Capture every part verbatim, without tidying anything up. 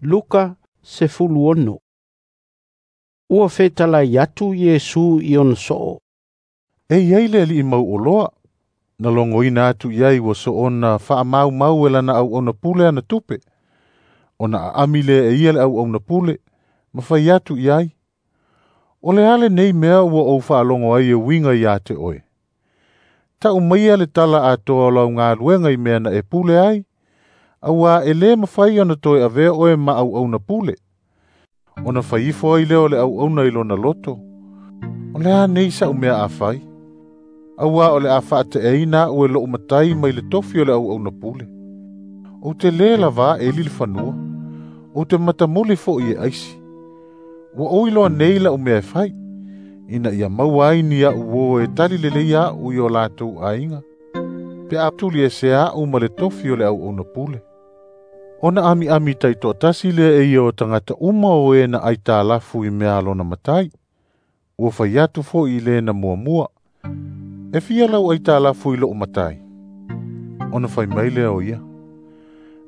Luka sefuluono. Ua fetalai atu Iesu i ona soo. E iai le alii mauoloa, na logoina atu i ai ua soona faamaumau e lana auauna pule ana tupe, ona aami lea e ia le auauna pule, ma fai atu i ai, “O le a lenei mea ua ou faalogo ai e uiga ia te oe? Tau maia le tala atoa o lau galuega i mea na e pule ai, auā e lē mafai ona toe avea oe ma auauna pule.” Ona fai ifo ai lea o le auauna i lona loto, “O le a nei sa'u mea a fai? Auā o le a faateaina a'u e lo'u matai mai le tofi o le auauna pule. Ou te lē lavā eli le fanua, ou te matamuli fo'i e aisi. Ua ou iloa nei la'u mea e fai, ina ia maua ai ni a'u uō e tali lelei a'u i o latou aiga, pe a tuliesea a'u ma le tofi o le auauna pule.” Ona amiami taitoatasi lea e ia o tagata uma o e na aitalafu i mea a lona matai. Ua fai atu fo'i i le na muamua, “E fia lau aitalafu i lo'u matai?” Ona fai mai lea o ia,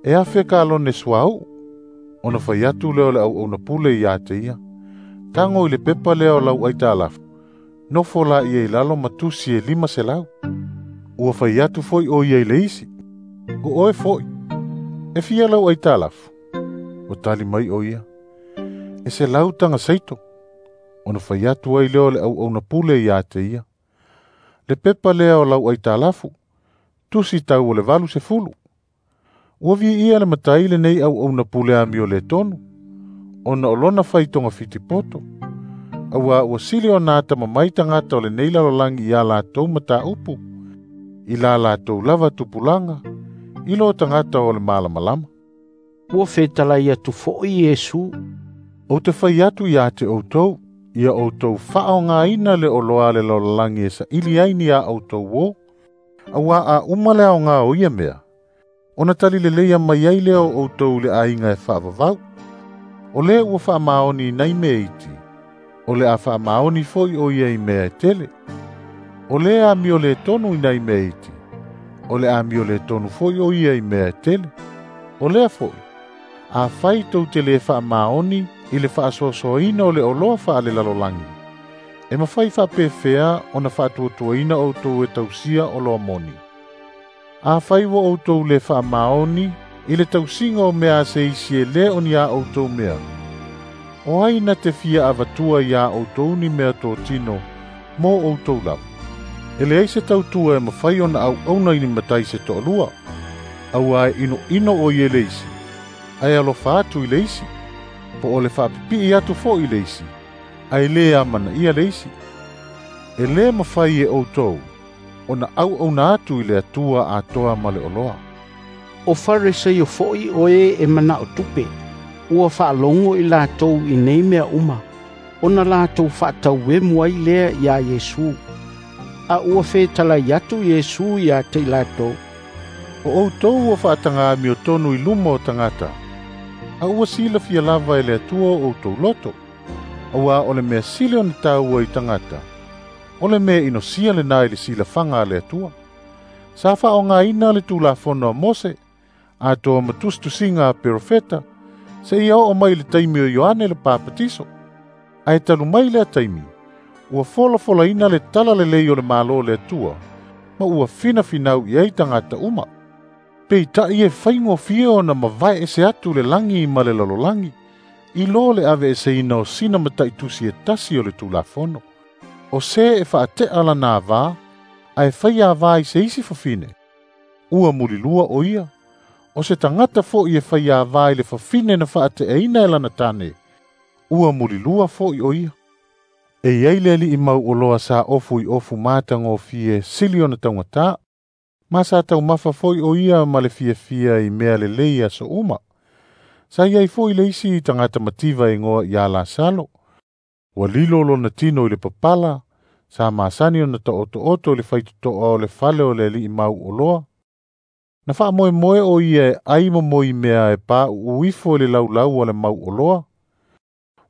“E afe kalone suauu.” Ona fai atu lea o le auauna pule ia te ia, “Tago i le pepa lea o lau aitalafu, nofo laia i lalo ma tusi e lima selau.” Ua fai atu foi o ia i le isi, “O oe foi, e fia lau aitalafu?” Ua tali mai o ia, “E selau taga seito.” Ona fai atu ai lea o le auauna pule ia te ia, “Le pepa lea o lau aitalafu, tusi tau o le valu sefulu.” Ua viia le matai lenei auauna pule amioletonu, ona o lona fai togafiti poto, auā ua sili ona atamamai tagata o lenei lalolagi i a latou mataupu, i la latou lava tupulaga, i lo tagata o le malamalama. Ua fetalai atu fo'i Iesu. Ou te fai atu ia te outou, ia outou faaaogaina le oloa a le lalolagi e saili ai ni a outou uō, auā a uma le aoga o ia mea, ona talileleia mai ai lea o outou i le aiga e faavavau. O le ua faamaoni i nai mea iti, o le a faamaoni foi o ia i mea e tele. O le amioletonu i nai mea iti, o le amioletonu foi o ia i mea e tele. O lea foi, afai tou te lē faamaoni i le faasoasoaina o le oloa faalelalolagi, e mafai faapefea ona faatuatuaina outou e tausia oloa moni? Afai ua outou lē faamaoni i le tausiga o mea a se isi e lē o ni a outou mea, o ai na te fia avatua iā outou ni mea totino mo outou lava? E leai se tautua e mafai ona auauna i ni matai se toalua, auā e inoino o ia i le isi, ae alofa atu i le isi, po o le faapipii atu foi i le isi, ae lē amanaia le isi. E lē mafai e outou ona auauna atu i le Atua atoa ma le oloa. O Farisio fo'i o e e mana'o tupe, ua faalogo i latou i nei mea uma, ona latou faatauemu ai lea iā Iesu. A ua fetalai atu Iesu ia te i latou, “O outou ua faataga amiotonu i luma o tagata, a ua silafia lava e le Atua o outou loto, auā o le mea sili ona taua i tagata, o le mea inosia lena i le silafaga a le Atua. Sa faaaogaina le Tulafono a Mose, atoa ma tusitusiga a perofeta, seia oo mai i le taimi o Ioane le Papatiso. Ae talu mai lea taimi, ua folafolaina le talalelei o le Malo o le Atua, ma ua finafinau i ai tagata uma. Peita'i e faigofie ona mavae ese atu le lagi ma le lalolagi, i lo le aveeseina o sina mataitusi e tasi o le Tulafono. O se e faate'a lana avā, ae fai avā i se isi fafine, ua mulilua o ia. O se tagata fo'i e fai avā i le fafine na faate'aina e lana tane, ua mulilua fo'i o ia. E iai le alii mauoloa sa ofu i ofu matagofie sili ona taugatā, ma sa taumafa foi o ia ma le fiafia i mea lelei aso uma. Sa iai foi le isi tagata mativa e igoa ia Lasalo. Ua lilo lona tino i le papala, sa masani ona taotooto i le faitotoa o le fale o le alii mauoloa. Na faamoemoe o ia e ai ma moi mea e pauu ifo i le laulau a le mauoloa.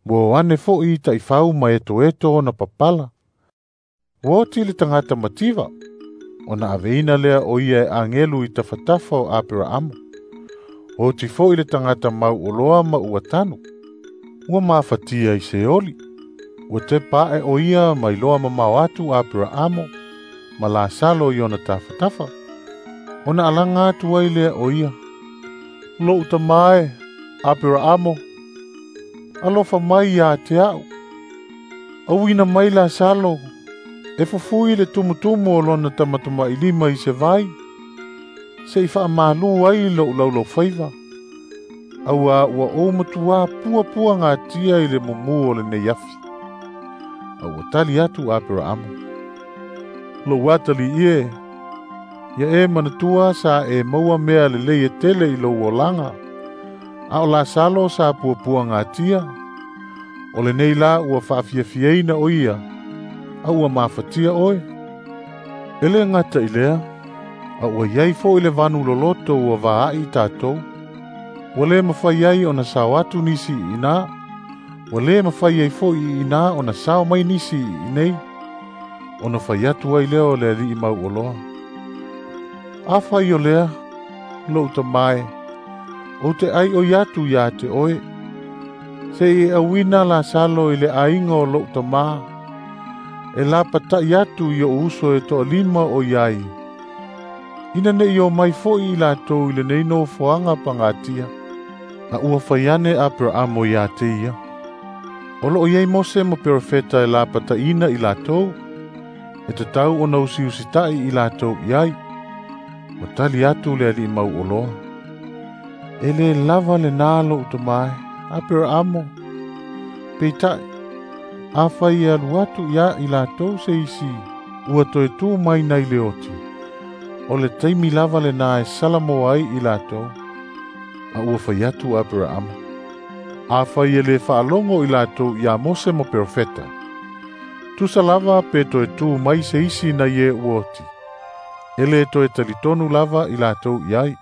Ua o ane fo'i taifau ma etoeto ona papala. Ua oti le tagata mativa, ona aveina lea o ia e agelu i tafatafa o Aperaamo. Oti fo'i le tagata mauoloa ma ua tanu. Ua mafatia i Seoli. Ua tepa a'e o ia ma iloa mamao atu Aperaamo ma Lasalo i ona tafatafa. Ona alaga atu ai lea o ia. Lo'u tamā e, Aperaamo, alofa mai iā te a'u. Auina mai Lasalo, e fufui le tumutumu o lona tamatamailima i se vai, se'i faamalū ai lo'u laulaufaiva, auā ua ou matuā puapuagatia i le mumū o lenei afi. A ua tali atu Aperaamo. Lou atalii e, ia e manatua sa e maua mea lelei e tele i lou olaga, a o Lasalo sa puapuagatia, o lenei la ua faafiafiaina o ia, a ua mafatia oe. E lē gata i lea, a ua iai fo'i le vanu loloto ua vaa'i tatou. Ua lē mafai ai ona sao atu nisi i inā, ua lē mafai ai fo'i i inā ona sao mai nisi i inei. Ona fai atu ai lea o le alii mauoloa. Afai o lea, lo'u tamā e, ou te aioi atu iā te oe, se'i e auina Lasalo i le aiga o lo'u tamā, e lapata'i atu i o'u uso e to'alima o iai, ina ne'i omai fo'i i latou i lenei nofoaga pagatia. A ua fai ane Aperaamo iā te ia. O lo'o i ai Mose ma perofeta e lapata'iina i latou, e tatau ona usiusita'i i latou i ai. Ua tali atu le alii mauoloa. E lē lava lenā lo'u tamā e, Aperaamo. Peita'i, afai e alu atu iā i latou se isi ua toe tū mai nai le oti, o le taimi lava lenā e salamoa ai i latou. A ua fai atu Aperaamo. Afai e lē faalogo i latou iā Mose ma perofeta, tusa lava pe toe tū mai se isi nai e ua oti, e lē toe talitonu lava i latou i ai.